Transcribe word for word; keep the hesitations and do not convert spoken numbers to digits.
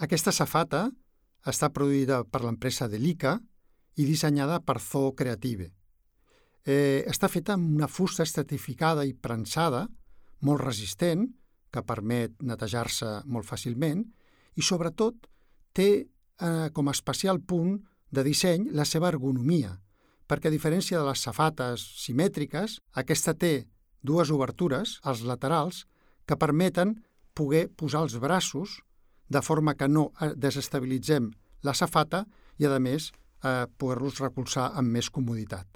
Aquesta safata està produïda per l'empresa Delica i dissenyada per Zoo Creative. Eh, està feta amb una fusta estratificada i prensada, molt resistent, que permet netejar-se molt fàcilment, i sobretot té eh, com a especial punt de disseny la seva ergonomia, perquè a diferència de les safates simètriques, aquesta té dues obertures als laterals que permeten poder posar els braços de forma que no desestabilitzem la safata i, a més, eh, poder-los recolzar amb més comoditat.